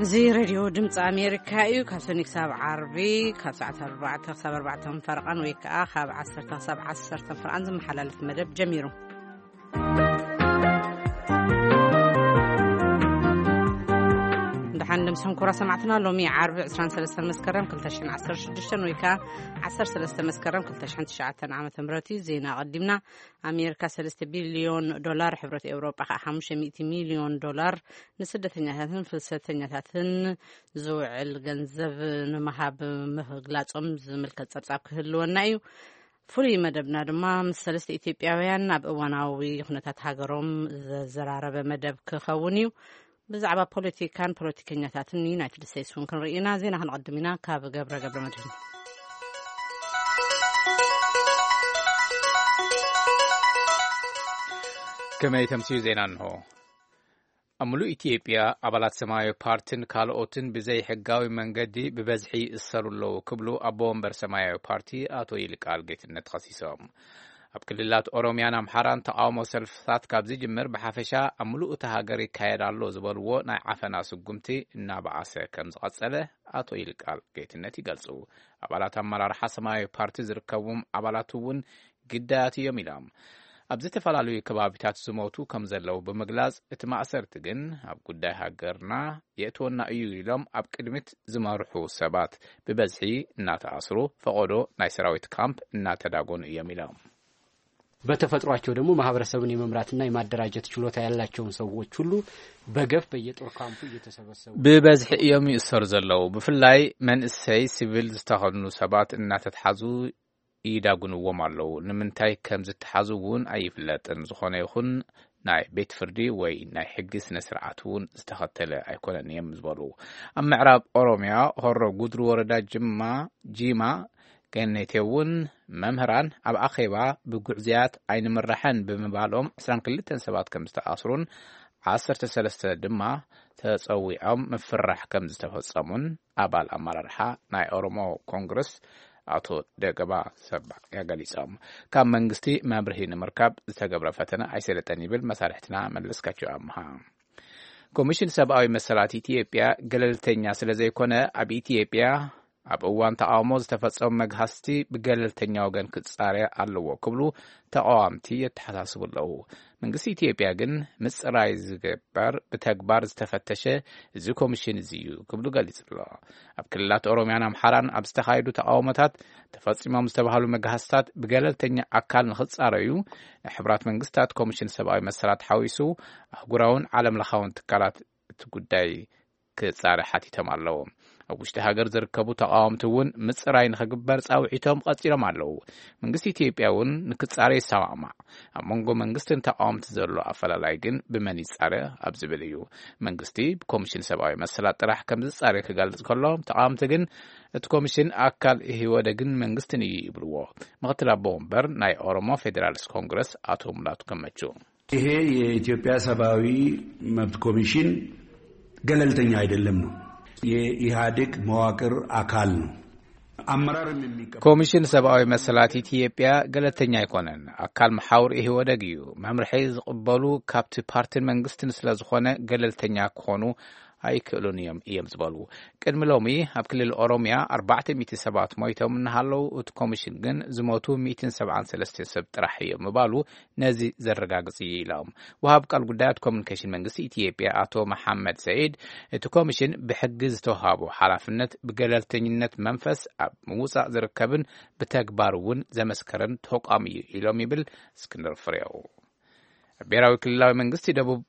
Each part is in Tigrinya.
እዚ ሬድዮ ድምፂ ኣሜሪካ እዩ። ካብ ሰኒ ክሳብ ዓርቢ ካብ ሰዓት ኣርባዕተ ክሳብ ኣርባዕተ ፈረቓን ወይ ከዓ ካብ ዓሰርተ ክሳብ ዓሰርተ ፈረቓን ዝመሓላለፍ መደብ ጀሚሩ። ደሓን ድምስኹም ክቡራት ሰማዕትና። ሎሚ ዓርቢ ዕስራን ሰለስተን መስከረም ክልተ ሽሕን ዓሰርተ ሽዱሽተን ወይ ከዓ ዓሰርተ ሰለስተ መስከረም ክልተ ሽሕን ትሽዓተን ዓመተ ምህረት እዩ። ዜና ኣቐዲምና። ኣሜሪካ ሰለስተ ቢልዮን ዶላር፣ ሕብረት ኤውሮጳ ከዓ ሓሙሽተ ሚእቲ ሚልዮን ዶላር ንስደተኛታትን ፍልሰተኛታትን ዝውዕል ገንዘብ ንምሃብ ምግላጾም ዝምልከት ጸብጻብ ክህልወና እዩ። ፍሉይ መደብና ድማ ምስ ሰለስተ ኢትዮጵያውያን ኣብ እዋናዊ ኩነታት ሃገሮም ዘዘራረበ መደብ ክኸውን እዩ። ብዛዕባ ፖለቲካን ፖለቲከኛታትን ዩናይትድ ስቴትስ እውን ክንርኢ ኢና። ዜና ክንቐድም ኢና ካብ ገብረ ገብረ መድህን። ከመይ ተምስዩ ዜና እንሆ። ኣብ ምሉእ ኢትዮጵያ ኣባላት ሰማያዊ ፓርቲን ካልኦትን ብዘይሕጋዊ መንገዲ ብበዝሒ ይእሰሩ ኣለዉ ክብሉ ኣቦ ወንበር ሰማያዊ ፓርቲ ኣቶ ይልቃል ጌትነት ከሲሶም። ኣብ ክልላት ኦሮሚያን ኣምሓራን ተቃውሞ ሰልፍታት ካብ ዝጅምር ብሓፈሻ ኣብ ምሉእ እታ ሃገር ይካየድ ኣሎ ዝበልዎ ናይ ዓፈና ስጉምቲ እናበኣሰ ከም ዝቐጸለ ኣቶ ይልቃል ጌትነት ይገልጹ። ኣባላት ኣመራርሓ ሰማያዊ ፓርቲ ዝርከብዎም ኣባላት እውን ግዳያት እዮም ኢሎም። ኣብ ዝተፈላለዩ ከባቢታት ዝሞቱ ከም ዘለዉ ብምግላጽ፣ እቲ ማእሰርቲ ግን ኣብ ጉዳይ ሃገርና የእትወና እዩ ኢሎም ኣብ ቅድሚት ዝመርሑ ሰባት ብበዝሒ እናተኣስሩ፣ ፈቐዶ ናይ ሰራዊት ካምፕ እናተዳጎኑ እዮም ኢሎም። በተፈጥሯቸው ደግሞ ማህበረሰብን የመምራትና የማደራጀት ችሎታ ያላቸውን ሰዎች ሁሉ በገፍ በየጦር ካምፑ እየተሰበሰቡ ብበዝሒ እዮም ይእሰሩ ዘለዉ። ብፍላይ መንእሰይ ሲቪል ዝተኸድኑ ሰባት እናተትሓዙ ይዳጉንዎም ኣለዉ። ንምንታይ ከም ዝተሓዙ እውን ኣይፍለጥን። ዝኾነ ይኹን ናይ ቤት ፍርዲ ወይ ናይ ሕጊ ስነ ስርዓት እውን ዝተኸተለ ኣይኮነን እዮም ዝበሉ። ኣብ ምዕራብ ኦሮሚያ ሆሮ ጉድሩ ወረዳ ጅማ፣ ጂማ ገነቴ እውን መምህራን ኣብ ኣኼባ ብጉዕዝያት ኣይንምራሕን ብምባሎም ዕስራን ክልተን ሰባት ከም ዝተኣስሩን ዓሰርተ ሰለስተ ድማ ተጸዊዖም ምፍራሕ ከም ዝተፈጸሙን ኣባል ኣመራርሓ ናይ ኦሮሞ ኮንግረስ ኣቶ ደገባ ሰባያ ገሊጾም። ካብ መንግስቲ መብርሂ ንምርካብ ዝተገብረ ፈተነ ኣይሰለጠን ይብል መሳርሕትና መለስካቸው ኣምሃ። ኮሚሽን ሰብኣዊ መሰላት ኢትዮጵያ ገለልተኛ ስለ ዘይኮነ ኣብ ኢትዮጵያ ኣብ እዋን ተቃውሞ ዝተፈጸሙ መግሃስቲ ብገለልተኛ ወገን ክጻረ ኣለዎ ክብሉ ተቃዋምቲ የተሓሳስቡ ኣለዉ። መንግስቲ ኢትዮጵያ ግን ምጽራይ ዝግበር ብተግባር ዝተፈተሸ እዚ ኮሚሽን እዚ እዩ ክብሉ ገሊጹ ኣሎ። ኣብ ክልላት ኦሮሚያን ኣምሓራን ኣብ ዝተኻየዱ ተቃውሞታት ተፈጺሞም ዝተባህሉ መግሃስታት ብገለልተኛ ኣካል ንኽጻረዩ ናይ ሕብራት መንግስታት ኮሚሽን ሰብኣዊ መሰላት ሓዊሱ ኣህጉራውን ዓለም ለኻውን ትካላት እቲ ጉዳይ ክጻረ ሓቲቶም ኣለዉ። ኣብ ውሽጢ ሃገር ዝርከቡ ተቃወምቲ እውን ምጽራይ ንኽግበር ጻውዒቶም ቀጺሎም ኣለዉ። መንግስቲ ኢትዮጵያ እውን ንክጻረ ይሰማማዕ። ኣብ መንጎ መንግስትን ተቃወምቲ ዘሎ ኣፈላላይ ግን ብመን ይጻረ ኣብ ዝብል እዩ። መንግስቲ ብኮሚሽን ሰብኣዊ መሰላት ጥራሕ ከም ዝጻረ ክገልጽ ከሎ፣ ተቃወምቲ ግን እቲ ኮሚሽን ኣካል ኢህወደግን መንግስትን እዩ ይብልዎ። ምክትል ኣቦ ወንበር ናይ ኦሮሞ ፌዴራሊስት ኮንግረስ ኣቶ ሙላቱ ገመቹ። ይሄ የኢትዮጵያ ሰብአዊ መብት ኮሚሽን ገለልተኛ አይደለም ነው። የኢህአዴግ መዋቅር አካል ነው። አመራርም የሚቀበል ኮሚሽን ሰብአዊ መሰላት ኢትዮጵያ ገለልተኛ ኣይኮነን። ኣካል መሓውር ኢህወደግ እዩ። መምርሒ ዝቕበሉ ካብቲ ፓርቲን መንግስትን ስለ ዝኾነ ገለልተኛ ክኾኑ ኣይክእሉን እዮም እዮም ዝበሉ። ቅድሚ ሎሚ ኣብ ክልል ኦሮሚያ ኣርባዕተ ሚእቲ ሰባት ሞይቶም እናሃለዉ፣ እቲ ኮሚሽን ግን ዝሞቱ ሚእትን ሰብዓን ሰለስተን ሰብ ጥራሕ እዮም ምባሉ ነዚ ዘረጋግጽ እዩ ኢሎም። ወሃብ ቃል ጉዳያት ኮሚኒኬሽን መንግስቲ ኢትዮጵያ ኣቶ መሓመድ ሰዒድ፣ እቲ ኮሚሽን ብሕጊ ዝተውሃቦ ሓላፍነት ብገለልተኝነት መንፈስ ኣብ ምውጻእ ዝርከብን ብተግባር እውን ዘመስከረን ተቋም እዩ ኢሎም ይብል እስክንድር ፍሬው። ብሔራዊ ክልላዊ መንግስቲ ደቡብ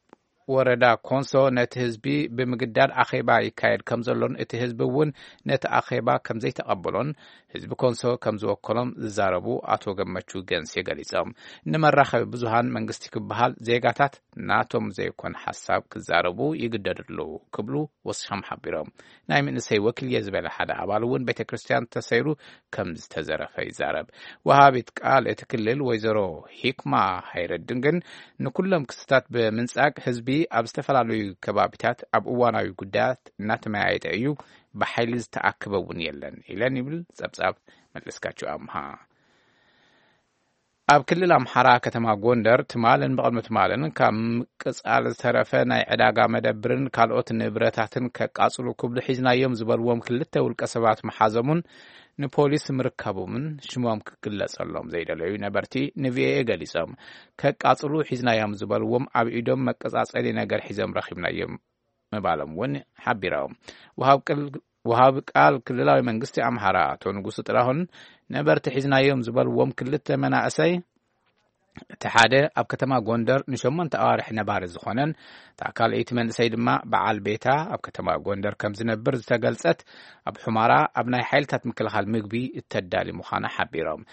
ወረዳ ኮንሶ ነቲ ህዝቢ ብምግዳድ ኣኼባ ይካየድ ከም ዘሎን እቲ ህዝቢ እውን ነቲ ኣኼባ ከም ዘይተቐበሎን ህዝቢ ኮንሶ ከም ዝወከሎም ዝዛረቡ ኣቶ ገመቹ ገንሴ ገሊጾም። ንመራኸቢ ብዙሃን መንግስቲ ክበሃል ዜጋታት ናቶም ዘይኮነ ሓሳብ ክዛረቡ ይግደዱ ኣለዉ ክብሉ ወሲኾም ሓቢሮም። ናይ መንእሰይ ወኪል እየ ዝበለ ሓደ ኣባል እውን ቤተ ክርስቲያን ተሰይሩ ከም ዝተዘረፈ ይዛረብ። ወሃቢት ቃል እቲ ክልል ወይዘሮ ሂክማ ሃይረድን ግን ንኩሎም ክስታት ብምንጻግ ህዝቢ ኣብ ዝተፈላለዩ ከባቢታት ኣብ እዋናዊ ጉዳያት እናተመያየጠ እዩ፣ ብሓይሊ ዝተኣከበ እውን የለን ኢለን ይብል ጸብጻብ መለስካቸው ኣምሃ። ኣብ ክልል ኣምሓራ ከተማ ጎንደር ትማልን ብቕድሚ ትማልን ካብ ምቅጻል ዝተረፈ ናይ ዕዳጋ መደብርን ካልኦት ንብረታትን ከቃጽሉ ክብሉ ሒዝናዮም ዝበልዎም ክልተ ውልቀ ሰባት መሓዞምን ንፖሊስ ምርካቦምን ሽሞም ክግለጸሎም ዘይደለዩ ነበርቲ ንቪኦኤ ገሊጾም። ከቃጽሉ ሒዝናዮም ዝበልዎም ኣብ ኢዶም መቀጻጸሊ ነገር ሒዞም ረኺብናዮም ምባሎም እውን ሓቢሮም። ወሃብ ቅል-፣ ወሃብ ቃል ክልላዊ መንግስቲ ኣምሓራ ኣቶ ንጉሱ ጥላሁን ነበርቲ ሒዝናዮም ዝበልዎም ክልተ መናእሰይ እቲ ሓደ ኣብ ከተማ ጎንደር ንሸሞንተ ኣዋርሕ ነባሪ ዝኾነን እታ ካልኣይቲ መንእሰይ ድማ በዓል ቤታ ኣብ ከተማ ጎንደር ከም ዝነብር ዝተገልጸት ኣብ ሑማራ ኣብ ናይ ሓይልታት ምክልኻል ምግቢ እተዳሊ ምዃና ሓቢሮም።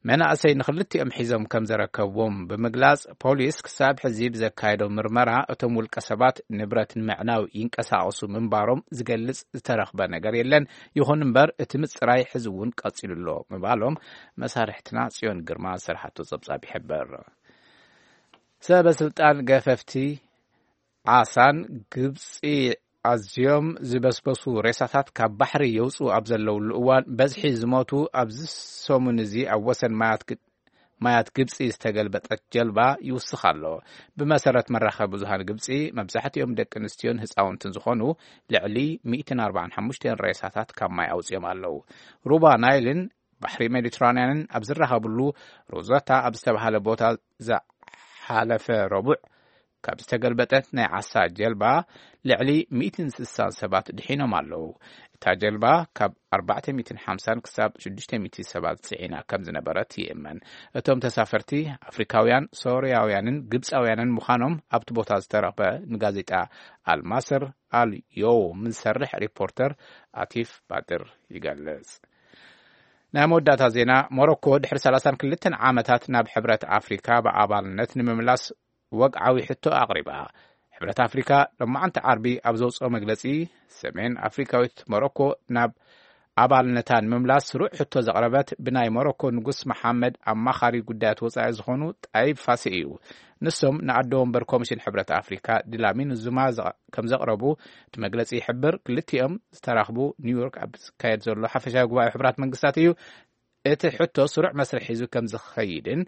መናእሰይ ንኽልቲኦም ሒዞም ከም ዘረከብዎም ብምግላጽ ፖሊስ ክሳብ ሕዚ ብዘካየዶ ምርመራ እቶም ውልቀ ሰባት ንብረት ንምዕናው ይንቀሳቐሱ ምንባሮም ዝገልጽ ዝተረኽበ ነገር የለን። ይኹን እምበር እቲ ምጽራይ ሕዚ እውን ቀጺሉ ኣሎ ምባሎም መሳርሕትና ጽዮን ግርማ ዝሰርሓቶ ጸብጻብ ይሕብር። ሰበ ስልጣን ገፈፍቲ ዓሳን ግብጺ ኣዝዮም ዝበስበሱ ሬሳታት ካብ ባሕሪ የውጽኡ ኣብ ዘለውሉ እዋን በዝሒ ዝሞቱ ኣብዚ ሰሙን እዚ ኣብ ወሰን ማያት ግ-፣ ማያት ግብጺ ዝተገልበጠት ጀልባ ይውስኽ ኣሎ። ብመሰረት መራኸቢ ብዙሃን ግብጺ መብዛሕትኦም ደቂ ኣንስትዮን ህፃውንትን ዝኾኑ ልዕሊ ሚእትን ኣርባዓን ሓሙሽተን ሬሳታት ካብ ማይ ኣውጽኦም ኣለዉ። ሩባ ናይልን ባሕሪ ሜዲትራንያንን ኣብ ዝራኸብሉ ሮዘታ ኣብ ዝተባህለ ቦታ ዝሓለፈ ረቡዕ ካብ ዝተገልበጠት ናይ ዓሳ ጀልባ ልዕሊ ሚእትን ስሳን ሰባት ድሒኖም ኣለዉ። እታ ጀልባ ካብ ኣርባዕተ ሚእትን ሓምሳን ክሳብ ሽዱሽተ ሚእቲ ሰባት ጽዒና ከም ዝነበረት ይእመን። እቶም ተሳፈርቲ ኣፍሪካውያን፣ ሶርያውያንን ግብጻውያንን ምዃኖም ኣብቲ ቦታ ዝተረኽበ ንጋዜጣ ኣልማስር ኣልዮውም ዝሰርሕ ሪፖርተር ኣቲፍ ባድር ይገልጽ። ናይ መወዳእታ ዜና፣ ሞሮኮ ድሕሪ ሰላሳን ክልተን ዓመታት ናብ ሕብረት ኣፍሪካ ብኣባልነት ንምምላስ ወግዓዊ ሕቶ ኣቕሪባ። ሕብረት ኣፍሪካ ሎማዓንቲ ዓርቢ ኣብ ዘውፅኦ መግለፂ፣ ሰሜን ኣፍሪካዊት ሞሮኮ ናብ ኣባልነታ ንምምላስ ስሩዕ ሕቶ ዘቕረበት ብናይ ሞሮኮ ንጉስ መሓመድ ኣማኻሪ ጉዳያት ወፃኢ ዝኾኑ ጣይብ ፋሲ እዩ። ንሶም ንኣዶ ወንበር ኮሚሽን ሕብረት ኣፍሪካ ድላሚን ዙማ ዘ-፣ ከም ዘቕረቡ እቲ መግለፂ ይሕብር። ክልቲኦም ዝተራኽቡ ኒውዮርክ ኣብ ዝካየድ ዘሎ ሓፈሻዊ ጉባኤ ሕብራት መንግስታት እዩ። እቲ ሕቶ ስሩዕ መስርሕ ሒዙ ከም ዝኸይድን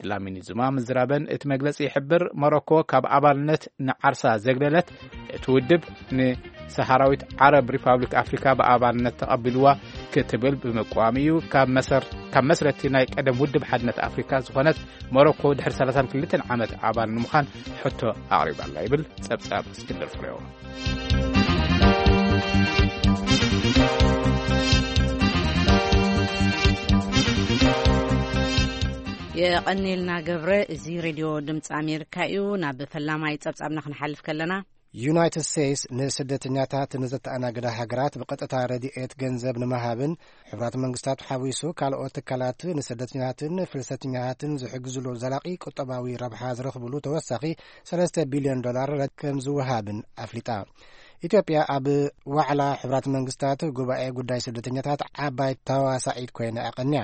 ድላሚኒ ዙማ ምዝራበን እቲ መግለጺ ይሕብር። ሞሮኮ ካብ ኣባልነት ንዓርሳ ዘግለለት፣ እቲ ውድብ ንሰሃራዊት ዓረብ ሪፓብሊክ ኣፍሪካ ብኣባልነት ተቐቢልዋ ክትብል ብምቅዋም እዩ። ካብ መሰር-፣ ካብ መስረቲ ናይ ቀደም ውድብ ሓድነት ኣፍሪካ ዝኾነት ሞሮኮ ድሕሪ ሰላሳን ክልተን ዓመት ኣባል ንምዃን ሕቶ ኣቕሪባላ ይብል ጸብጻብ እስክንድር ፍሬው። የቐኔልና ገብረ። እዚ ሬድዮ ድምፂ ኣሜሪካ እዩ። ናብ ፈላማይ ጸብጻብና ክንሓልፍ ከለና፣ ዩናይትድ ስቴትስ ንስደተኛታት ንዘተኣናግዳ ሃገራት ብቐጥታ ረድኤት ገንዘብ ንምሃብን፣ ሕብራት መንግስታት ሓዊሱ ካልኦት ትካላት ንስደተኛታትን ፍልሰተኛታትን ዝሕግዝሉ ዘላቒ ቁጠባዊ ረብሓ ዝረኽብሉ ተወሳኺ ሰለስተ ቢልዮን ዶላር ከም ዝወሃብን ኣፍሊጣ። ኢትዮጵያ ኣብ ዋዕላ ሕብራት መንግስታት ጉባኤ ጉዳይ ስደተኛታት ዓባይ ተዋሳኢት ኮይና ኣቐንያ።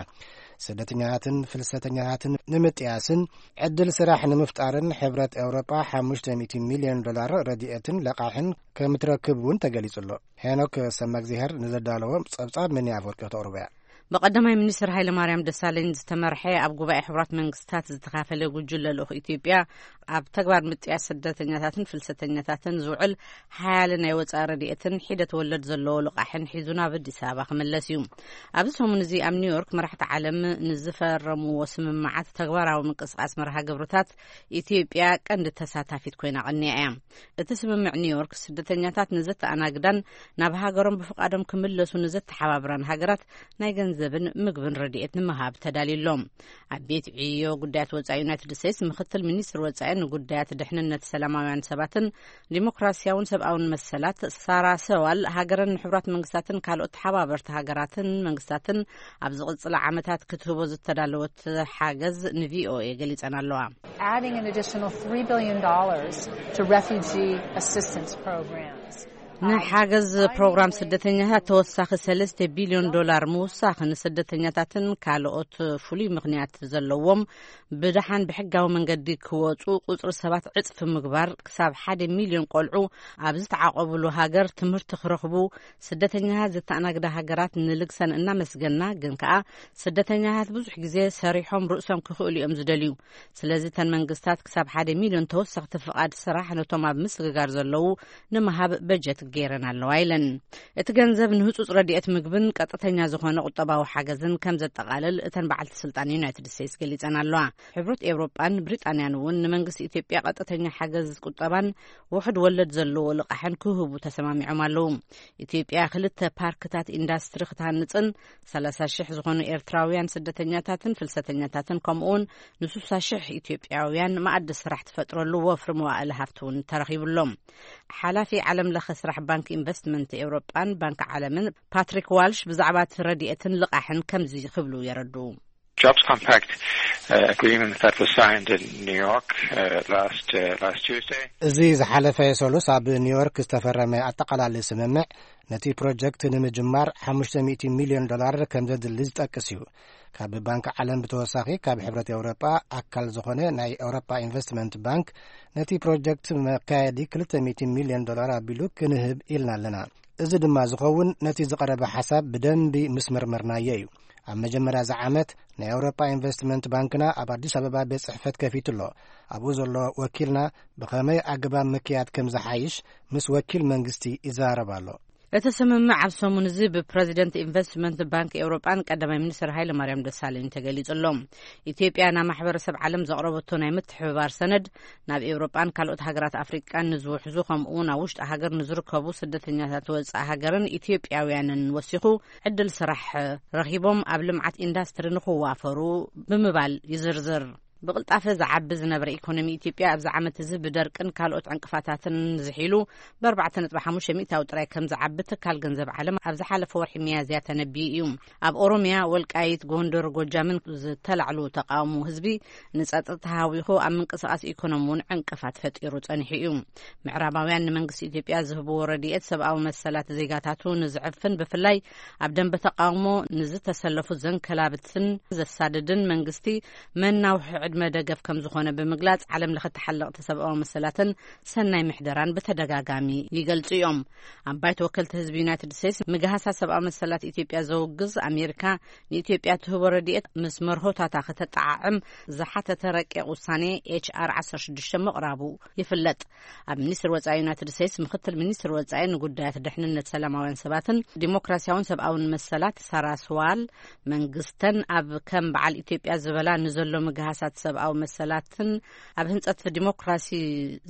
ስደተኛታትን ፍልሰተኛታትን ንምጥያስን ዕድል ስራሕ ንምፍጣርን ሕብረት ኤውሮጳ ሓሙሽተ ሚእቲ ሚልዮን ዶላር ረድኤትን ለቓሕን ከም ትረክብ እውን ተገሊጹ ኣሎ። ሄኖክ ሰመግዚሄር ንዘዳለዎ ጸብጻብ ምን ኣፈወርቂ ተቕርቦ እያ። ብቀዳማይ ሚኒስትር ሃይለማርያም ደሳለኝ ዝተመርሐ ኣብ ጉባኤ ሕብራት መንግስታት ዝተኻፈለ ጉጅለ ልኡኽ ኢትዮጵያ ኣብ ተግባር ምጥያስ ስደተኛታትን ፍልሰተኛታትን ዝውዕል ሓያለ ናይ ወጻኢ ረድኤትን ሒደት ወለድ ዘለዎ ልቓሕን ሒዙ ናብ ኣዲስ ኣበባ ክምለስ እዩ። ኣብዚ ሰሙን እዚ ኣብ ኒውዮርክ መራሕቲ ዓለም ንዝፈረምዎ ስምምዓት ተግባራዊ ምንቅስቓስ መርሃ ግብርታት ኢትዮጵያ ቀንዲ ተሳታፊት ኮይና ቀንያ እያ። እቲ ስምምዕ ኒውዮርክ ስደተኛታት ንዘተኣናግዳን ናብ ሃገሮም ብፍቓዶም ክምለሱ ንዘተሓባብራን ሃገራት ናይ ገንዘብን ምግብን ረድኤት ንምሃብ ተዳልዩ ኣሎ። ኣብ ቤት ዕዮ ጉዳያት ወጻኢ ዩናይትድ ስቴትስ ምክትል ሚኒስትር ወጻኢ ንጉዳያት ድሕንነት ሰላማውያን ሰባትን ዲሞክራሲያውን ሰብኣውን መሰላት ሳራ ሰዋል፣ ሃገረን ንሕቡራት መንግስታትን ካልኦት ተሓባበርቲ ሃገራትን መንግስታትን ኣብ ዝቕጽላ ዓመታት ክትህቦ ዝተዳለወት ሓገዝ ንቪኦኤ ገሊጸን ኣለዋ። Adding an additional three billion dollars to refugee assistance programs. ንሓገዝ ፕሮግራም ስደተኛታት ተወሳኺ ሰለስተ ቢልዮን ዶላር ምውሳኽ፣ ንስደተኛታትን ካልኦት ፍሉይ ምኽንያት ዘለዎም ብደሓን ብሕጋዊ መንገዲ ክወጹ ቁጽሪ ሰባት ዕጽፊ ምግባር፣ ክሳብ ሓደ ሚልዮን ቆልዑ ኣብ ዝተዓቆብሉ ሃገር ትምህርቲ ክረኽቡ፣ ስደተኛታት ዘተኣናግዳ ሃገራት ንልግሰን እናመስገና፣ ግን ከኣ ስደተኛታት ብዙሕ ግዜ ሰሪሖም ርእሶም ክኽእሉ እዮም ዝደልዩ። ስለዚ እተን መንግስታት ክሳብ ሓደ ሚልዮን ተወሰኽቲ ፍቓድ ስራሕ ነቶም ኣብ ምስግጋር ዘለዉ ንምሃብ በጀት ገይረን ኣለዋ ኢለን። እቲ ገንዘብ ንህጹጽ ረድኤት ምግብን ቀጥተኛ ዝኾነ ቁጠባዊ ሓገዝን ከም ዘጠቓልል እተን በዓልቲ ስልጣን ዩናይትድ ስቴትስ ገሊጸን ኣለዋ። ሕብረት ኤውሮጳን ብሪጣንያን እውን ንመንግስቲ ኢትዮጵያ ቀጥተኛ ሓገዝ ቁጠባን ውሑድ ወለድ ዘለዎ ልቓሕን ክህቡ ተሰማሚዖም ኣለዉ። ኢትዮጵያ ክልተ ፓርክታት ኢንዳስትሪ ክትሃንጽን ሰላሳ ሽሕ ዝኾኑ ኤርትራውያን ስደተኛታትን ፍልሰተኛታትን ከምኡውን ንስሳ ሽሕ ኢትዮጵያውያን መኣዲ ስራሕ ትፈጥረሉ ወፍሪ መዋእለ ሃፍቲ እውን ተረኺቡሎም። ሓላፊ ዓለም ለኸ ስራሕ ባንክ ኢንቨስትመንት ኤውሮጳን ባንክ ዓለምን ፓትሪክ ዋልሽ ብዛዕባ እቲ ረድኤትን ልቓሕን ከምዚ ክብሉ የረድኡ። Jobs Compact uh, agreement that was signed in New York uh, last uh, last Tuesday. እዚ ዝሓለፈ ሰሉስ ኣብ ኒውዮርክ ዝተፈረመ ኣጠቓላሊ ስምምዕ ነቲ ፕሮጀክት ንምጅማር ሓሙሽተ ሚእቲ ሚልዮን ዶላር ከም ዘድሊ ዝጠቅስ እዩ። ካብ ባንክ ዓለም ብተወሳኺ ካብ ሕብረት ኤውሮጳ ኣካል ዝኾነ ናይ ኤውሮጳ ኢንቨስትመንት ባንክ ነቲ ፕሮጀክት መካየዲ ክልተ ሚእቲ ሚልዮን ዶላር ኣቢሉ ክንህብ ኢልና ኣለና። እዚ ድማ ዝኸውን ነቲ ዝቐረበ ሓሳብ ብደንቢ ምስ መርመርናዮ እዩ። ኣብ መጀመርያ እዚ ዓመት ናይ ኣውሮጳ ኢንቨስትመንት ባንክና ኣብ ኣዲስ ኣበባ ቤት ጽሕፈት ከፊቱ ኣሎ። ኣብኡ ዘሎ ወኪልና ብኸመይ ኣገባብ ምክያድ ከም ዝሓይሽ ምስ ወኪል መንግስቲ ይዘራረብ ኣሎ። እቲ ስምምዕ ኣብ ሰሙን እዚ ብፕረዚደንት ኢንቨስትመንት ባንክ ኤውሮጳን ቀዳማይ ሚኒስትር ሃይለ ማርያም ደሳለኝ ተገሊጹ ኣሎ። ኢትዮጵያ ናብ ማሕበረሰብ ዓለም ዘቕረበቶ ናይ ምትሕብባር ሰነድ ናብ ኤውሮጳን ካልኦት ሃገራት ኣፍሪቃን ንዝውሕዙ ከምኡ እውን ኣብ ውሽጢ ሃገር ንዝርከቡ ስደተኛታት ወጻኢ ሃገርን ኢትዮጵያውያንን ወሲኹ ዕድል ስራሕ ረኺቦም ኣብ ልምዓት ኢንዳስትሪ ንኽዋፈሩ ብምባል ይዝርዝር። ብቕልጣፈ ዝዓቢ ዝነበረ ኢኮኖሚ ኢትዮጵያ ኣብዚ ዓመት እዚ ብደርቅን ካልኦት ዕንቅፋታትን ዝሒሉ ብ ኣርባዕተ ነጥቢ ሓሙሽተ ሚእታዊ ጥራይ ከም ዝዓቢ ትካል ገንዘብ ዓለም ኣብ ዝሓለፈ ወርሒ ሚያዝያ ተነቢዩ እዩ። ኣብ ኦሮሚያ ወልቃይት፣ ጎንደር፣ ጎጃምን ዝተላዕሉ ተቃውሞ ህዝቢ ንጸጥታ ሃዊኹ ኣብ ምንቅስቃስ ኢኮኖሚ እውን ዕንቅፋት ፈጢሩ ጸኒሑ እዩ። ምዕራባውያን ንመንግስቲ ኢትዮጵያ ዝህብዎ ረድኤት ሰብኣዊ መሰላት ዜጋታቱ ንዝዕፍን ብፍላይ ኣብ ደንበ ተቃውሞ ንዝተሰለፉ ዘንከላብትን ዘሳድድን መንግስቲ መናውሒ ዕድመ ደገፍ ከም ዝኾነ ብምግላጽ ዓለም ለኸ ተሓለቕቲ ሰብኣዊ መሰላትን ሰናይ ምሕደራን ብተደጋጋሚ ይገልጹ እዮም። ኣብ ባይቶ ወከልቲ ህዝቢ ዩናይትድ ስቴትስ ምግሃሳት ሰብኣዊ መሰላት ኢትዮጵያ ዘውግዝ ኣሜሪካ ንኢትዮጵያ ትህቦ ረድኤት ምስ መርሆታታ ከተጠዓዕም ዝሓተተ ረቂቕ ውሳኔ ኤች ኣር ዓሰርተ ሽዱሽተ ምቕራቡ ይፍለጥ። ኣብ ሚኒስትር ወጻኢ ዩናይትድ ስቴትስ ምክትል ሚኒስትር ወጻኢ ንጉዳያት ድሕንነት ሰላማውያን ሰባትን ዲሞክራሲያውን ሰብኣውን መሰላት ሳራ ስዋል መንግስተን ኣብ ከም በዓል ኢትዮጵያ ዝበላ ንዘሎ ምግሃሳት ሰብኣዊ መሰላትን ኣብ ህንጸት ዲሞክራሲ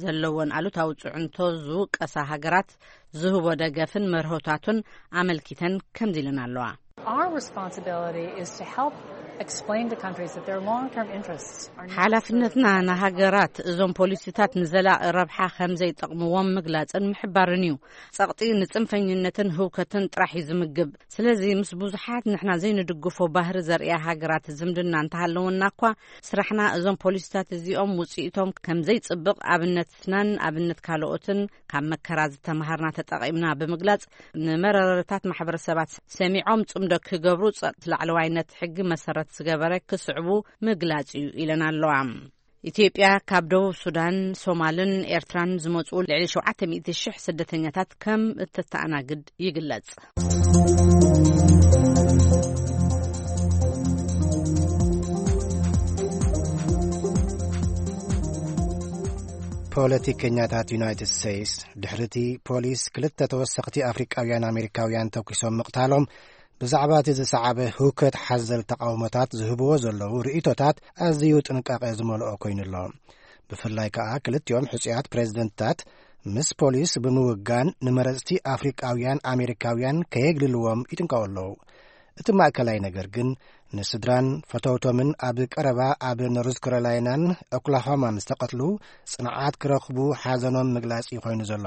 ዘለወን ኣሉታዊ ጽዕንቶ ዝውቀሳ ሃገራት ዝህቦ ደገፍን መርሆታቱን ኣመልኪተን ከምዚ ኢለን ኣለዋ። Our responsibility is to help explain to countries that their long-term interests are not ሓላፍነትና ንሃገራት እዞም ፖሊሲታት ንዘላቒ ረብሓ ከም ዘይጠቕምዎም ምግላጽን ምሕባርን እዩ። ጸቕጢ ንጽንፈኝነትን ህውከትን ጥራሕ እዩ ዝምግብ። ስለዚ ምስ ብዙሓት ንሕና ዘይንድግፎ ባህሪ ዘርእያ ሃገራት ዝምድና እንተሃለወና እኳ ስራሕና እዞም ፖሊሲታት እዚኦም ውጽኢቶም ከም ዘይጽብቕ ኣብነትናን ኣብነት ካልኦትን ካብ መከራ ዝተምሃርና ተጠቒምና ብምግላጽ ንመረረታት ማሕበረሰባት ሰሚዖም ጽምዶ ክገብሩ ጸቕቲ ላዕለዋይነት ሕጊ መሰረት ዝገበረ ክስዕቡ ምግላጽ እዩ ኢለን ኣለዋ። ኢትዮጵያ ካብ ደቡብ ሱዳን፣ ሶማልን ኤርትራን ዝመጹ ልዕሊ ሸውዓተ ሚእቲ ሽሕ ስደተኛታት ከም እተተኣናግድ ይግለጽ። ፖለቲከኛታት ዩናይትድ ስቴትስ ድሕሪቲ ፖሊስ ክልተ ተወሰኽቲ ኣፍሪቃውያን ኣሜሪካውያን ተኩሶም ምቕታሎም ብዛዕባ እቲ ዝሰዓበ ህውከት ሓዘል ተቓውሞታት ዝህብዎ ዘለዉ ርእይቶታት ኣዝዩ ጥንቃቐ ዝመልኦ ኮይኑ ኣሎ። ብፍላይ ከኣ ክልቲኦም ሕጹያት ፕሬዝደንትታት ምስ ፖሊስ ብምውጋን ንመረጽቲ ኣፍሪቃውያን ኣሜሪካውያን ከየግልልዎም ይጥንቀቑ ኣለዉ። እቲ ማእከላይ ነገር ግን ንስድራን ፈተውቶምን ኣብ ቀረባ ኣብ ኖርዝ ካሮላይናን ኦክላሆማን ዝተቐትሉ ጽንዓት ክረኽቡ ሓዘኖም ምግላጽ እዩ ኮይኑ ዘሎ።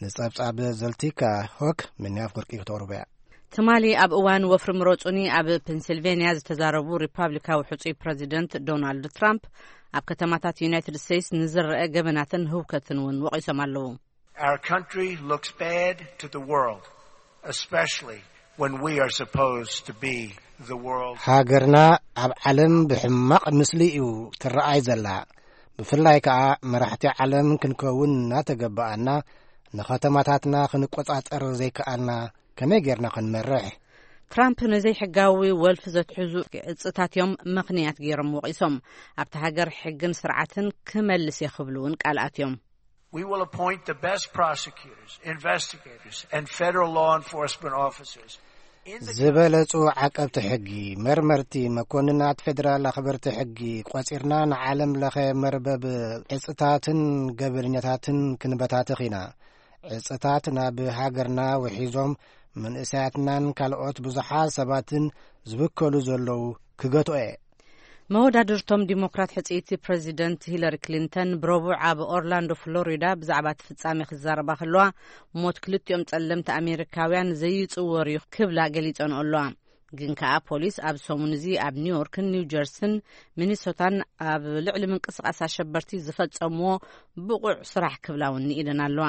ንጸብጻብ ዘልቲካ ሆክ ምንያፍ ወርቂ ክተቕርቡ እያ። ትማሊ ኣብ እዋን ወፍሪ ምረጹኒ ኣብ ፔንሲልቬንያ ዝተዛረቡ ሪፓብሊካዊ ሕጹይ ፕረዚደንት ዶናልድ ትራምፕ ኣብ ከተማታት ዩናይትድ ስቴትስ ንዝረአ ገበናትን ህውከትን እውን ወቒሶም ኣለዉ። Our country looks bad to the world, especially when we are supposed to be the world. ሃገርና ኣብ ዓለም ብሕማቕ ምስሊ እዩ ትረኣይ ዘላ። ብፍላይ ከኣ መራሕቲ ዓለም ክንከውን እናተገበኣና፣ ንኸተማታትና ክንቆጻጸር ዘይከኣልና፣ ከመይ ጌርና ክንመርሕ? ትራምፕ ንዘይሕጋዊ ወልፊ ዘትሕዙ ዕጽታት እዮም ምኽንያት ገይሮም ወቒሶም። ኣብቲ ሃገር ሕግን ስርዓትን ክመልስ እየ ክብሉ እውን ቃል ኣትዮም። We will appoint the best prosecutors, investigators, and federal law enforcement officers in the ዝበለጹ ዓቀብቲ ሕጊ፣ መርመርቲ፣ መኮንናት ፌደራል ኣኽበርቲ ሕጊ ቆጺርና ንዓለም ለኸ መርበብ ዕጽታትን ገበነኛታትን ክንበታትኽ ኢና። ዕጽታት ናብ ሃገርና ውሒዞም መንእሰያትናን ካልኦት ብዙሓት ሰባትን ዝብከሉ ዘለዉ ክገትኦ እየ። መወዳድርቶም ዲሞክራት ሕጽይቲ ፕረዚደንት ሂለሪ ክሊንተን ብረቡዕ ኣብ ኦርላንዶ ፍሎሪዳ ብዛዕባ እቲ ፍጻሜ ክዛረባ ከለዋ፣ ሞት ክልቲኦም ጸለምቲ ኣሜሪካውያን ዘይጽወር እዩ ክብላ ገሊጸንኦ ኣለዋ። ግን ከኣ ፖሊስ ኣብ ሰሙን እዚ ኣብ ኒውዮርክን ኒው ጀርሲን ሚኒሶታን ኣብ ልዕሊ ምንቅስቓስ ኣሸበርቲ ዝፈጸምዎ ብቑዕ ስራሕ ክብላ እውን ንኢደን ኣለዋ።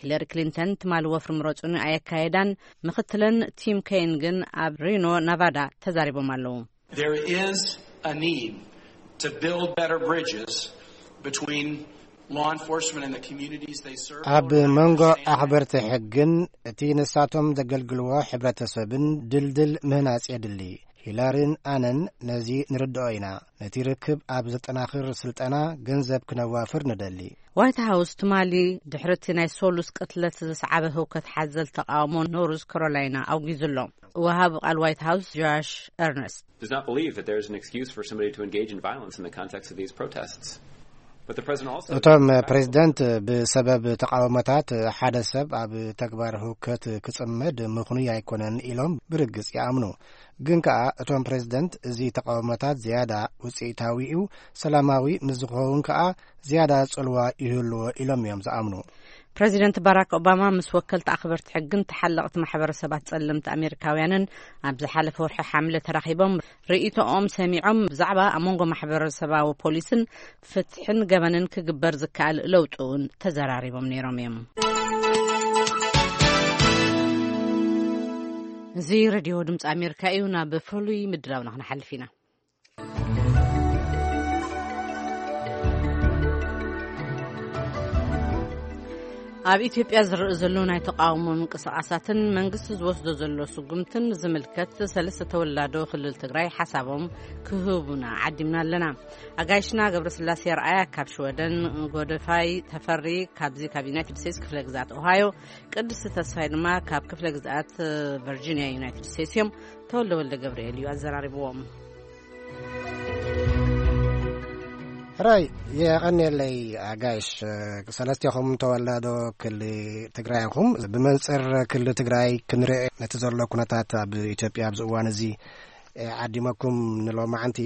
ሂለሪ ክሊንተን ትማሊ ወፍሪ ምረጹኒ ኣየካየዳን። ምኽትለን ቲም ከይን ግን ኣብ ሪኖ ናቫዳ ተዛሪቦም ኣለዉ። There is a need to build better bridges between law enforcement and the communities they serve. ኣብ መንጎ ኣኽበርቲ ሕግን እቲ ንሳቶም ዘገልግልዎ ሕብረተሰብን ድልድል ምህናጽ የድሊ። ሂላሪን ኣነን ነዚ ንርድኦ ኢና። ነቲ ርክብ ኣብ ዘጠናኽር ስልጠና ገንዘብ ክነዋፍር ንደሊ። ዋይት ሃውስ ትማሊ ድሕሪ እቲ ናይ ሶሉስ ቅትለት ዘስዓበ ህውከት ሓዘል ተቃውሞ ኖርዝ ካሮላይና ኣውጊዙ ኣሎ። ወሃቢ ቃል ዋይት ሃውስ ጆሽ ኤርነስት does not believe that there is an excuse for somebody to engage in violence in the context of these protests. But the president also እቶም ፕሬዝደንት ብሰበብ ተቃውሞታት ሓደ ሰብ ኣብ ተግባር ህውከት ክጽመድ ምኽኑይ ኣይኮነን ኢሎም ብርግጽ ይኣምኑ። ግን ከኣ እቶም ፕሬዝደንት እዚ ተቃውሞታት ዝያዳ ውጽኢታዊ እዩ፣ ሰላማዊ ምስ ዝኸውን ከኣ ዝያዳ ጽልዋ ይህልዎ ኢሎም እዮም ዝኣምኑ። ፕረዚደንት ባራክ ኦባማ ምስ ወከልቲ ኣኽበርቲ ሕግን ተሓለቕቲ ማሕበረሰባት ጸለምቲ ኣሜሪካውያንን ኣብ ዝሓለፈ ወርሒ ሓምለ ተራኺቦም ርእይቶኦም ሰሚዖም፣ ብዛዕባ ኣብ መንጎ ማሕበረሰባዊ ፖሊስን ፍትሕን ገበንን ክግበር ዝከኣል ለውጢ እውን ተዘራሪቦም ነይሮም እዮም። እዚ ሬድዮ ድምፂ ኣሜሪካ እዩ። ናብ ፍሉይ ምድላውና ክንሓልፍ ኢና። ኣብ ኢትዮጵያ ዝረኣ ዘሎ ናይ ተቃውሞ ምንቅስቃሳትን መንግስቲ ዝወስዶ ዘሎ ስጉምትን ዝምልከት ሰለስተ ተወላዶ ክልል ትግራይ ሓሳቦም ክህቡና ዓዲምና ኣለና። ኣጋይሽና ገብረስላሴ ኣርኣያ ካብ ሽወደን፣ ጎደፋይ ተፈሪ ካብዚ ካብ ዩናይትድ ስቴትስ ክፍለ ግዝኣት ኦሃዮ፣ ቅድስቲ ተስፋይ ድማ ካብ ክፍለ ግዝኣት ቨርጂኒያ ዩናይትድ ስቴትስ እዮም። ተወልደ ወልደ ገብርኤል እዩ ኣዘራሪብዎም። ሕራይ፣ የቐንየለይ ኣጋይሽ። ሰለስቴኹም ተወላዶ ክሊ ትግራይ ኢኹም። ብመንፅር ክሊ ትግራይ ክንርኢ ነቲ ዘሎ ኩነታት ኣብ ኢትዮጵያ ኣብዚ እዋን እዚ ዓዲመኩም ንሎማዓንቲ።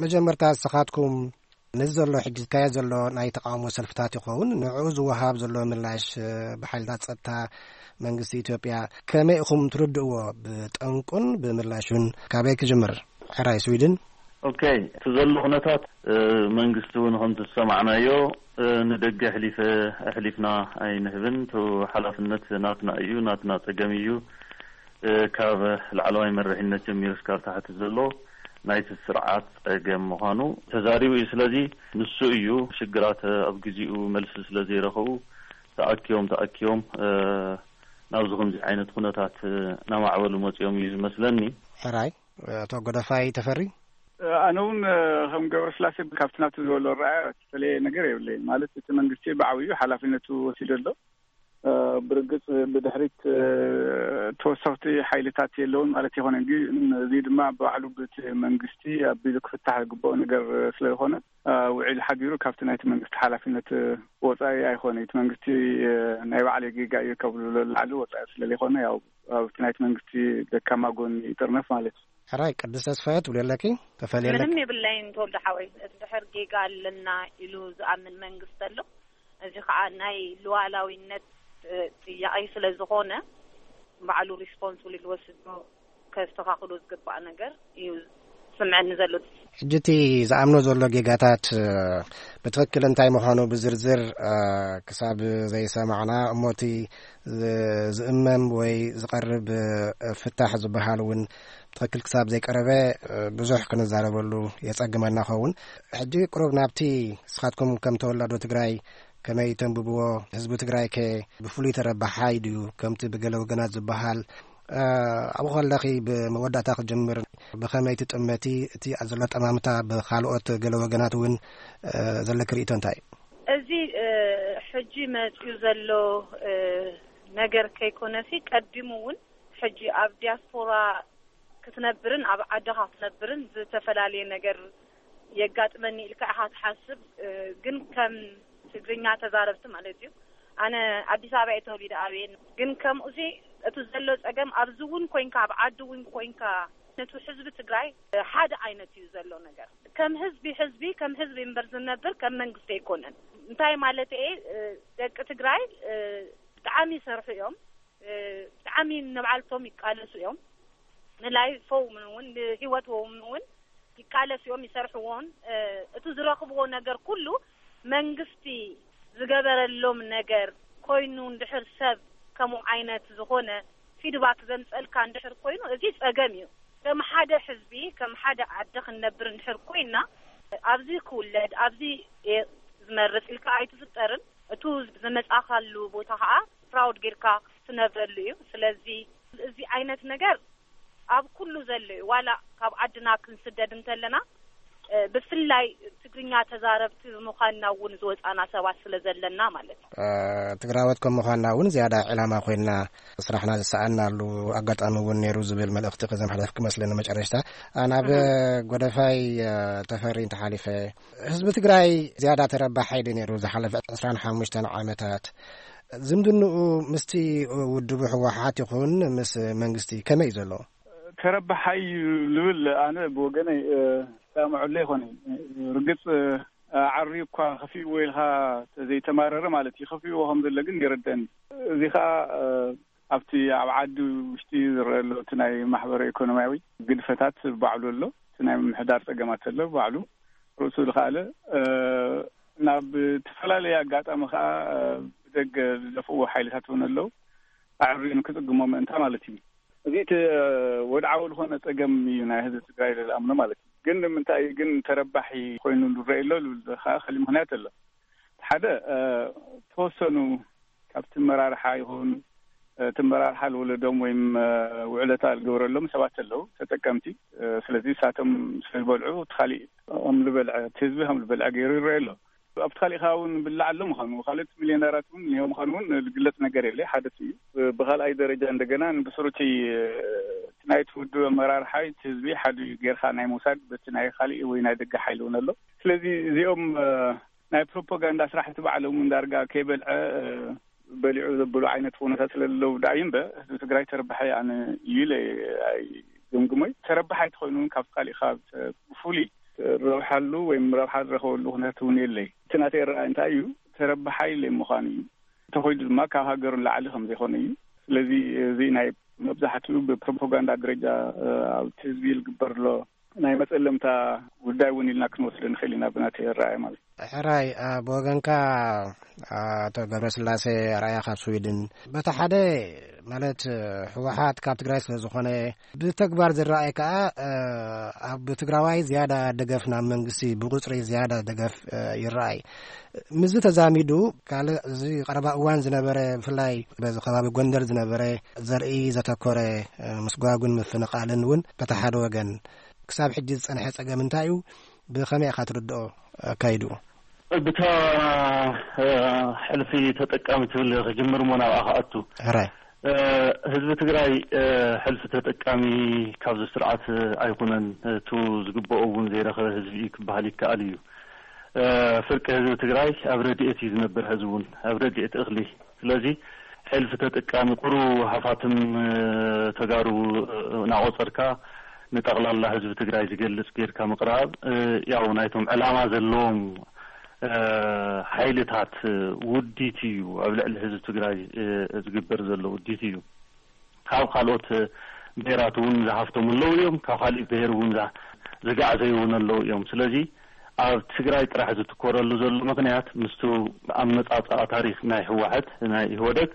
መጀመርታ ንስኻትኩም ነዚ ዘሎ ሕጂ ዝካየድ ዘሎ ናይ ተቃውሞ ሰልፍታት ይኸውን፣ ንዕኡ ዝወሃብ ዘሎ ምላሽ ብሓይልታት ጸጥታ መንግስቲ ኢትዮጵያ ከመይ ኢኹም ትርድእዎ? ብጠንቁን ብምላሹን ካበይ ክጅምር? ሕራይ ስዊድን። ኦኬ፣ እቲ ዘሎ ኩነታት መንግስቲ እውን ከምቲ ዝሰማዕናዮ ንደገ ኣሕሊፈ ኣሕሊፍና ኣይንህብን። እቲ ሓላፍነት ናትና እዩ፣ ናትና ጸገም እዩ። ካብ ላዕለዋይ መሪሕነት ጀሚሩ እስካብ ታሕቲ ዘሎ ናይቲ ስርዓት ጸገም ምዃኑ ተዛሪቡ እዩ። ስለዚ ንሱ እዩ ሽግራት ኣብ ግዜኡ መልሲ ስለ ዘይረኸቡ ተኣኪቦም ተኣኪቦም ናብዚ ከምዚ ዓይነት ኩነታት እናማዕበሉ መጺኦም እዩ ዝመስለኒ። ሕራይ ኣቶ ጎደፋይ ተፈሪ። ኣነ እውን ከም ገብረስላሴ ካብቲ ናቱ ዝበሎ ረኣያ ዝተፈለየ ነገር የብለይን። ማለት እቲ መንግስቲ ብዓብዩ ሓላፍነቱ ወሲዱ ኣሎ። ብርግጽ ብድሕሪት ተወሰኽቲ ሓይልታት የለውን ማለት ኣይኮነን። ግን እዚ ድማ ባዕሉ ብቲ መንግስቲ ኣቢሉ ክፍታሕ ዝግብኦ ነገር ስለ ዝኾነ ውዒል ሓዲሩ ካብቲ ናይቲ መንግስቲ ሓላፍነት ወጻኢ ኣይኮነ። እቲ መንግስቲ ናይ ባዕለይ ጌጋ እዩ ከብሉ ላዕሊ ወጻኢ ስለ ዘይኮነ ያው ኣብቲ ናይቲ መንግስቲ ደካማ ጎኒ ይጥርነፍ ማለት እዩ። ሕራይ ቅድስ ተስፋየ ትብሉ ኣለኪ ተፈልየ ኣለኪ። ምንም የብለይን ተወልደ ሓወይ። እንድሕር ጌጋ ኣለና ኢሉ ዝኣምን መንግስቲ ኣሎ። እዚ ከዓ ናይ ሉዓላዊነት ጥያቄ ስለ ዝኾነ ባዕሉ ሪስፖንስብል ዝወስዶ ከስተኻኽሎ ዝግባእ ነገር እዩ ዝስምዐኒ ዘሎ። ሕጂ እቲ ዝኣምኖ ዘሎ ጌጋታት ብትኽክል እንታይ ምዃኑ ብዝርዝር ክሳብ ዘይሰማዕና፣ እሞ እቲ ዝእመም ወይ ዝቐርብ ፍታሕ ዝበሃል እውን ብትኽክል ክሳብ ዘይቀረበ ብዙሕ ክንዛረበሉ የጸግመና ኸውን። ሕጂ ቅሩብ ናብቲ ንስኻትኩም ከም ተወላዶ ትግራይ ከመይ ተንብብዎ፣ ህዝቢ ትግራይ ከ ብፍሉይ ተረባሓይ ድዩ ከምቲ ብገለ ወገናት ዝበሃል? ኣብኡ ከለኺ ብመወዳእታ ክጅምር፣ ብኸመይ ትጥመቲ እቲ ዘሎ ጠማምታ ብኻልኦት ገለ ወገናት እውን ዘለኪ ርእይቶ እንታይ? እዚ ሕጂ መፅዩ ዘሎ ነገር ከይኮነሲ፣ ቀዲሙ እውን ሕጂ ኣብ ዲያስፖራ ክትነብርን ኣብ ዓድኻ ክትነብርን ዝተፈላለየ ነገር የጋጥመኒ ኢልካ ኢኻ ትሓስብ። ግን ከም ትግርኛ ተዛረብቲ ማለት እዩ፣ ኣነ ኣዲስ ኣበባ እየ ተወሊደ ዓብየ። ግን ከምኡሲ እቲ ዘሎ ፀገም ኣብዚ እውን ኮይንካ ኣብ ዓዲ እውን ኮይንካ ነቲ ህዝቢ ትግራይ ሓደ ዓይነት እዩ ዘሎ ነገር። ከም ህዝቢ ህዝቢ ከም ህዝቢ እምበር ዝነብር ከም መንግስቲ ኣይኮነን። እንታይ ማለት እየ? ደቂ ትግራይ ብጣዕሚ ይሰርሑ እዮም፣ ብጣዕሚ ንባዕልቶም ይቃለሱ እዮም። ንላይፎም እውን ንህይወቶም እውን ይቃለሱ እዮም፣ ይሰርሕዎን። እቲ ዝረኽብዎ ነገር ኩሉ መንግስቲ ዝገበረሎም ነገር ኮይኑ እንድሕር ሰብ ከምኡ ዓይነት ዝኾነ ፊድባክ ዘምፀልካ እንድሕር ኮይኑ፣ እዚ ፀገም እዩ። ከም ሓደ ህዝቢ ከም ሓደ ዓዲ ክንነብር እንድሕር ኮይና፣ ኣብዚ ክውለድ ኣብዚ እየ ዝመርፅ ኢልካ ኣይትፍጠርን። እቱ ዝመፃኻሉ ቦታ ከዓ ፕራውድ ጌርካ ትነብረሉ እዩ። ስለዚ እዚ ዓይነት ነገር ኣብ ኩሉ ዘሎ እዩ። ዋላ ካብ ዓድና ክንስደድ እንተለና ብፍላይ ትግርኛ ተዛረብቲ ብምዃንና እውን ዝወፃና ሰባት ስለ ዘለና ማለት እዩ። ትግራወት ከም ምዃንና እውን ዝያዳ ዕላማ ኮይንና ስራሕና ዝሰኣናሉ ኣጋጣሚ እውን ነይሩ ዝብል መልእኽቲ ከዘመሓላልፍ ክመስለኒ። መጨረሽታ ናብ ጎደፋይ ተፈሪ እንተሓሊፈ፣ ህዝቢ ትግራይ ዝያዳ ተረባሓይ ድዩ ነይሩ ዝሓለፈ ዕስራን ሓሙሽተን ዓመታት? ዝምድንኡ ምስቲ ውድቡ ህወሓት ይኹን ምስ መንግስቲ ከመይ እዩ ዘሎ? ተረባሓይ እዩ ልብል ኣነ ብወገነይ ሰማዕሉ ኣይኮነይ። ርግፅ ዓሪ እኳ ከፊእዎ ኢልካ ዘይተማረረ ማለት እዩ። ከፊእዎ ከም ዘሎ ግን ይርደኒ። እዚ ከዓ ኣብቲ ኣብ ዓዲ ውሽጢ ዝረአ ኣሎ እቲ ናይ ማሕበረ ኢኮኖሚያዊ ግድፈታት ባዕሉ ኣሎ። እቲ ናይ ምምሕዳር ፀገማት ኣሎ ባዕሉ ርእሱ ዝኸኣለ፣ ናብ ዝተፈላለየ ኣጋጣሚ ከዓ ብደገ ዝደፍእዎ ሓይልታት እውን ኣለዉ። ኣዕርዩ ንክፅግሞ ምእንታ ማለት እዩ። እዚ እቲ ወድዓዊ ዝኾነ ፀገም እዩ ናይ ህዝቢ ትግራይ ዝኣምኖ ማለት እዩ። ግን ንምንታይ ግን ተረባሒ ኮይኑ ዝረአ ኣሎ ዝብል ከዓ ካልእ ምኽንያት ኣሎ። ሓደ ተወሰኑ ካብቲ መራርሓ ይኹን እቲ መራርሓ ዝወለዶም ወይም ውዕለታ ዝገበረሎም ሰባት ኣለዉ ተጠቀምቲ። ስለዚ እሳቶም ስለ ዝበልዑ እቲ ካሊእ ከም ዝበልዐ እቲ ህዝቢ ከም ዝበልዐ ገይሩ ይረአ ኣሎ። ኣብቲ ካሊእ ከዓ እውን ብላዕ ኣሎ ምዃኑ፣ ካልኦት ሚልዮነራት እውን እኒሀው ምዃኑ እውን ዝግለፅ ነገር የለ። ሓደ እሱ እዩ። ብካልኣይ ደረጃ እንደገና ብስሩቲ እቲ ናይቲ ውድብ ኣመራርሓ እቲ ህዝቢ ሓደ እዩ ጌርካ ናይ ምውሳድ በቲ ናይ ካሊእ ወይ ናይ ደገ ሓይሊ እውን ኣሎ። ስለዚ እዚኦም ናይ ፕሮፓጋንዳ ስራሕቲ ባዕሎም እውን ዳርጋ ከይበልዐ በሊዑ ዘብሉ ዓይነት ኩነታት ስለዘለው ዳእዩ እምበር ህዝቢ ትግራይ ተረባሐ ኣነ እዩ ኢለ ኣይግምግሞይ። ተረባሐ ኣይተኮይኑ እውን ካብ ካሊእ ካብ ብፍሉይ ረብሓሉ ወይም ረብሓ ዝረኸበሉ ኩነታት እውን የለይ። እቲ ናተይ ኣረኣእያ እንታይ እዩ? ተረባሓይ ለይ ምዃኑ እዩ። እንተኾይኑ ድማ ካብ ሃገሩ ንላዕሊ ከም ዘይኮነ እዩ። ስለዚ እዚ ናይ መብዛሕትኡ ብፕሮፓጋንዳ ደረጃ ኣብቲ ህዝቢ ዝግበር ኣሎ ናይ መፀለምታ ጉዳይ እውን ኢልና ክንወስዶ ንኽእል ኢና ብናተይ ኣረኣእያ ማለት እዩ። ሕራይ፣ ብወገንካ ኣቶ ገብረስላሴ ኣርኣያ ካብ ስዊድን፣ በቲ ሓደ ማለት ህወሓት ካብ ትግራይ ስለ ዝኾነ ብተግባር ዝረኣይ ከኣ ኣብ ትግራዋይ ዝያዳ ደገፍ ናብ መንግስቲ ብቁፅሪ ዝያዳ ደገፍ ይረኣይ። ምስዚ ተዛሚዱ ካልእ እዚ ቀረባ እዋን ዝነበረ ብፍላይ በዚ ከባቢ ጎንደር ዝነበረ ዘርኢ ዘተኮረ ምስጓጉን ምፍንቓልን እውን በቲ ሓደ ወገን ክሳብ ሕጂ ዝጸንሐ ጸገም እንታይ እዩ? ብኸመይ ኢኻ ትርድኦ ኣካይድኡ? ብታ ሕልፊ ተጠቃሚ ትብል ክጅምር እሞ ናብኣ ክኣቱ። ሕራይ። ህዝቢ ትግራይ ሕልፊ ተጠቃሚ ካብዚ ስርዓት ኣይኮነን። እቱ ዝግበኦ እውን ዘይረኸበ ህዝቢ እዩ ክበሃል ይከኣል እዩ። ፍርቂ ህዝቢ ትግራይ ኣብ ረድኤት እዩ ዝነብር። ሕዚ እውን ኣብ ረድኤት እኽሊ። ስለዚ ሕልፊ ተጠቃሚ ቁሩ ሃፋትም ተጋሩ እናቆፀርካ ንጠቕላላ ህዝቢ ትግራይ ዝገልፅ ጌርካ ምቕራብ ያው ናይቶም ዕላማ ዘለዎም ሓይልታት ውዲት እዩ። ኣብ ልዕሊ ህዝቢ ትግራይ ዝግበር ዘሎ ውዲት እዩ። ካብ ካልኦት ብሄራት እውን ዝሃፍቶም ኣለዉ እዮም። ካብ ካሊእ ብሄር እውን ዝጋዕዘዩ እውን ኣለዉ እዮም። ስለዚ ኣብ ትግራይ ጥራሕ ዝትኮረሉ ዘሎ ምኽንያት ምስቱ ኣመጻጽኣ ታሪኽ ናይ ህወሓት፣ ናይ ኢህወደግ፣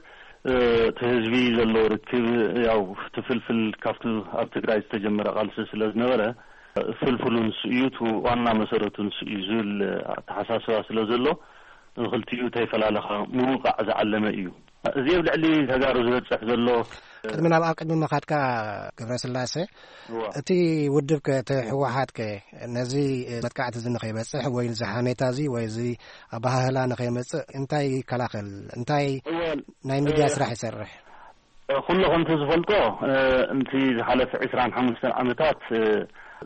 እቲ ህዝቢ ዘለዎ ርክብ ያው ትፍልፍል ካብቲ ኣብ ትግራይ ዝተጀመረ ቃልሲ ስለ ዝነበረ ፍልፍሉ ንሱ እዩ፣ እቲ ዋና መሰረቱ ንሱ እዩ ዝብል ኣተሓሳስባ ስለ ዘሎ ንክልቲኡ ተይፈላለኻ ምውቃዕ ዝዓለመ እዩ። እዚ ኣብ ልዕሊ ተጋሩ ዝበፅሕ ዘሎ ቅድሚ ናብ ኣብ ቅድሚ ምኻድካ ገብረስላሴ፣ እዋ። እቲ ውድብ ከ እቲ ህወሓት ከ ነዚ መጥቃዕቲ እዚ ንኸይበፅሕ ወይ እዚ ሓሜታ እዚ ወይ እዚ ኣባሃህላ ንኸይመፅእ እንታይ ይከላኸል? እንታይ እወ፣ ናይ ሚድያ እ፣ ስራሕ ይሰርሕ? ኩሉ ከምቲ ዝፈልጦ፣ እ፣ንቲ ዝሓለፈ ዕስራን ሓሙሽተን ዓመታት፣ እ፣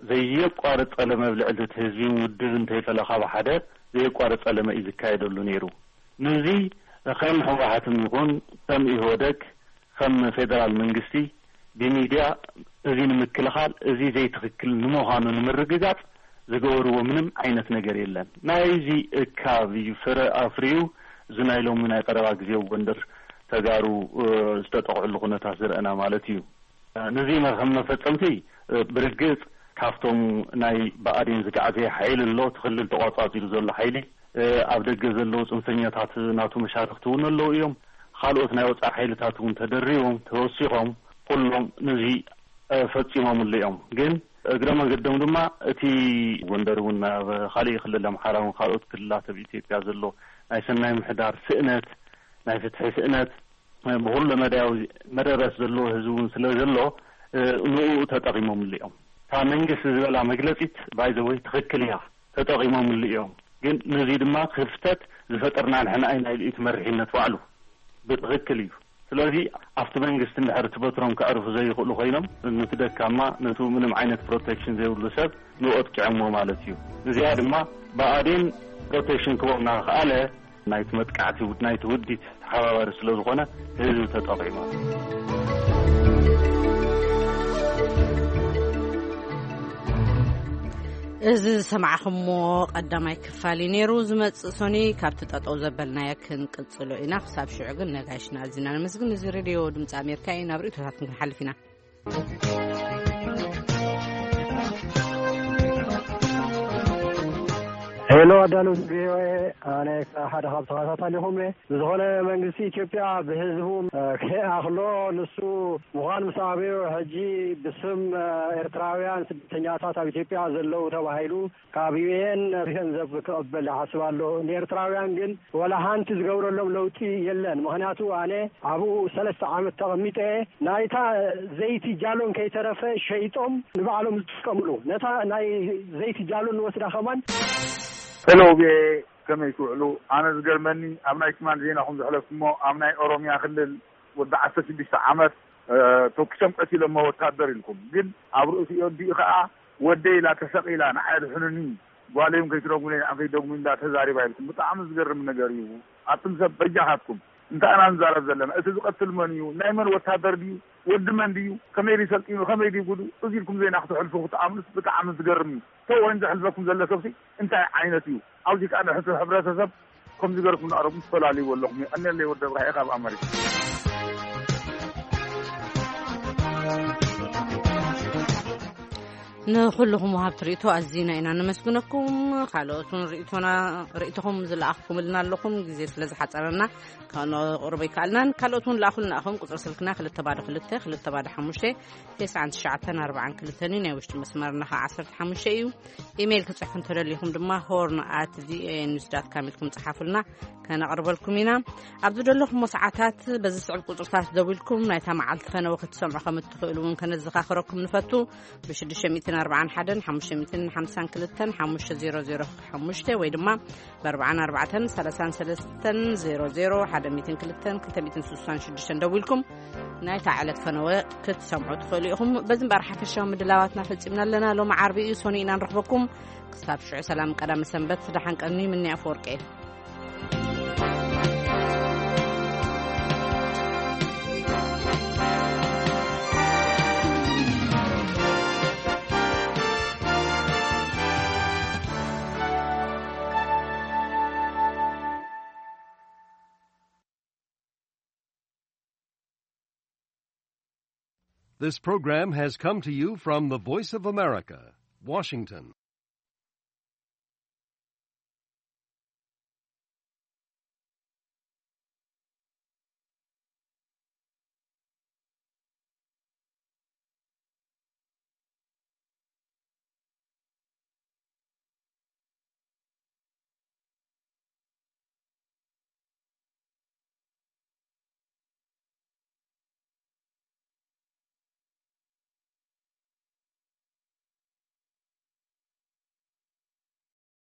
ዘየቋርጥ ጸለመ ኣብ ልዕሊ እቲ ህዝቢ ውድብ እንተይፈለ ካብ ሓደ ዘየቋርጥ ጸለመ እዩ ዝካየደሉ ነይሩ። ነዚ ከም ህወሓትም ይኹን ከም ኢህወደግ ከም ፌደራል መንግስቲ ብሚድያ እዚ ንምክልኻል፣ እዚ ዘይትኽክል ንምዃኑ ንምርግጋጽ ዝገበርዎ ምንም ዓይነት ነገር የለን። ናይዚ እካብ እዩ ፍረ ኣፍርዩ እዚ ናይ ሎሚ ናይ ቀረባ ግዜ ኣብ ጎንደር ተጋሩ፣ እ፣ ዝተጠቕዕሉ ኩነታት ዝረአና ማለት እዩ። ነዚ ከም መፈጸምቲ፣ እ፣ ብርግጽ ካብቶም ናይ ብኣዴን ዝጋዕዘየ ሓይሊ ኣሎ፣ እቲ ክልል ተቋጻጺሩ ዘሎ ሓይሊ፣ እ፣ ኣብ ደገ ዘለዉ ጽንፈኛታት ናቱ መሻርኽቲ እውን ኣለዉ እዮም። ካልኦት ናይ ወጻኢ ሓይልታት እውን ተደሪቦም፣ ተወሲኾም፣ ኩሎም ነዚ፣ እ፣ ፈጺሞምሉ እዮም። ግን እግረ መንገዶም ድማ እቲ ጎንደር እውን ናብ ካሊእ ክልል ኣምሓራ እውን ካልኦት ክልላት ኣብ ኢትዮጵያ ዘሎ ናይ ሰናይ ምሕዳር ስእነት፣ ናይ ፍትሒ ስእነት፣ ብኩሉ መዳያዊ መደረስ ዘለዎ ህዝቢ እውን ስለ ዘሎ፣ እ፣ ንኡ ተጠቒሞምሉ እዮም። እታ መንግስቲ ዝበላ መግለጺት ባይዘወይ ትኽክል እያ፣ ተጠቒሞምሉ እዮም። ግን ነዚ ድማ ክፍተት ዝፈጠርና ንሕና ኢና ኢሉ እቲ መሪሕነት ባዕሉ ብትኽክል እዩ። ስለዚ ኣብቲ መንግስቲ እንድሕር እቲ በትሮም ከዕርፉ ዘይኽእሉ ኮይኖም፣ ነቲ ደካማ፣ ነቲ ምንም ዓይነት ፕሮቴክሽን ዘይብሉ ሰብ ንኡ ኣጥቂዖሞ ማለት እዩ። እዚኣ ድማ ብኣዴን ፕሮቴክሽን ክቦም እናኸኣለ ናይቲ መጥቃዕቲ ውድ-፣ ናይቲ ውዲት ተሓባባሪ ስለ ዝኾነ ህዝቢ ተጠቒሙ። እዚ ዝሰማዕኹምዎ ቀዳማይ ክፋል እዩ ነይሩ። ዝመጽእ ሶኒ ካብቲ ጠጠው ዘበልናዮ ክንቅጽሎ ኢና። ክሳብ ሽዑ ግን ነጋይሽና ኣዚና ነመስግን። እዚ ሬድዮ ድምፂ ኣሜሪካ እዩ። ናብ ርእይቶታት ክንሓልፍ ኢና። ሄሎ ኣዳለውቲ ቪኦኤ፣ ኣነ ሓደ ካብ ተኸታታሊኹም እየ። ብዝኾነ መንግስቲ ኢትዮጵያ ብህዝቡ፣ እ፣ ከይኣኽሎ ንሱ ምዃን ምስ ኣበዮ ሕጂ ብስም፣ እ፣ ኤርትራውያን ስደተኛታት ኣብ ኢትዮጵያ ዘለዉ ተባሂሉ ካብ ዩ ኤን ገንዘብ ክቕበል ይሓስብ ኣሎ። ንኤርትራውያን ግን ወላ ሓንቲ ዝገብረሎም ለውጢ የለን። ምኽንያቱ ኣነ ኣብኡ ሰለስተ ዓመት ተቐሚጠ ናይታ ዘይቲ ጃሎን ከይተረፈ ሸይጦም ንባዕሎም ዝጥቀምሉ ነታ ናይ ዘይቲ ጃሎን ንወስዳ ከማን። ሄሎ ቪኦኤ፣ ከመይ ትውዕሉ? ኣነ ዝገርመኒ ኣብ ናይ ትማል ዜናኹም ዘሕለፍኩሞ ኣብ ናይ ኦሮሚያ ክልል ወዲ ዓሰርተ ሽዱሽተ ዓመት፣ እ፣ ተኩሶም ቀቲሎሞ ወታደር ኢልኩም፣ ግን ኣብ ርእሲኡ ኣዲኡ ከኣ ወደይ ኢላ ተሰቒላ ንዓይ ኣድሕኑኒ፣ ጓለይም ከይትደጉሙለይ ንዓም ከይትደጉሙኒ እንዳ ተዛሪባ ኢልኩም። ብጣዕሚ ዝገርም ነገር እዩ። ኣቱም ሰብ በጃኻትኩም እንታይ ኢና ንዛረብ ዘለና? እቲ ዝቐትል መን እዩ? ናይ መን ወታደር ድዩ? ወዲ መን ድዩ? ከመይ ድዩ ሰልጢኑ? ከመይ ድዩ ጉዱ? እዚ ኢልኩም ዜና ክትሕልፉ ክትኣምኑስ ብጣዕሚ ዝገርም እዩ። ተወን ዘሕልፈኩም ዘሎ ሰብሲ እንታይ ዓይነት እዩ? ኣብዚ ከኣ ንሕቲ ሕብረተሰብ ከምዚ ገርኩም ንኣረጉም ትፈላልይዎ ኣለኹም። የቐንየለይ ወዲ እብራሂ ካብ ኣመሪካ። ንኹልኹም ወሃብቲ ርእይቶ ኣዚና ኢና ነመስግነኩም። ካልኦት እውን ርእይቶና፣ ርእይቶኹም ዝለኣኽኩምልና ኣለኹም። ግዜ ስለ ዝሓጸረና ከነቕርቦ ኣይከኣልናን። ካልኦት እውን ለኣኹልና ኢኹም። ቁጽሪ ስልክና ክልተ ባዶ ክልተ፣ ክልተ ባዶ ሓሙሽተ፣ ተስዓን ትሽዓተን ኣርባዓን ክልተን እዩ። ናይ ውሽጢ መስመርና ኸዓ ዓሰርተ ሓሙሽተ እዩ። ኢሜይል ክጽሕፉ እንተደሊኹም ድማ ሆርን ኣት ቪኦኤ ኒውስ ዳት ካም ኢልኩም ጽሓፉልና። ከነቕርበልኩም ኢና። ኣብ ዝደለኹሞ ሰዓታት በዚ ስዕብ ቁጽርታት ደዊልኩም ናይታ መዓልቲ ፈነወ ክትሰምዑ ከም እትኽእሉ እውን ከነዘኻኽረኩም ንፈቱ። ብ ሽዱሽተ ሚእትን ኣርባዓን ሓደን ሓሙሽተ ሚእትን ሓምሳን ክልተን ሓሙሽተ ዜሮ ዜሮ ሓሙሽተ ወይ ድማ ብ ኣርባዓን ኣርባዕተን ሰላሳን ሰለስተን ዜሮ ዜሮ ሓደ ሚእትን ክልተን ክልተ ሚእትን ስሳን ሽዱሽተን ደዊልኩም ናይታ ዕለት ፈነወ ክትሰምዑ ትኽእሉ ኢኹም። በዚ እምበኣር ሓፈሻዊ ምድላዋትና ፈጺምና ኣለና። ሎሚ ዓርቢ እዩ፣ ሶኒ ኢና ንረኽበኩም። ክሳብ ሽዑ ሰላም ቀዳመ ሰንበት፣ ደሓን ቀኒ። ምኒ ኣፈወርቂ እየ። This program has come to you from the Voice of America, Washington.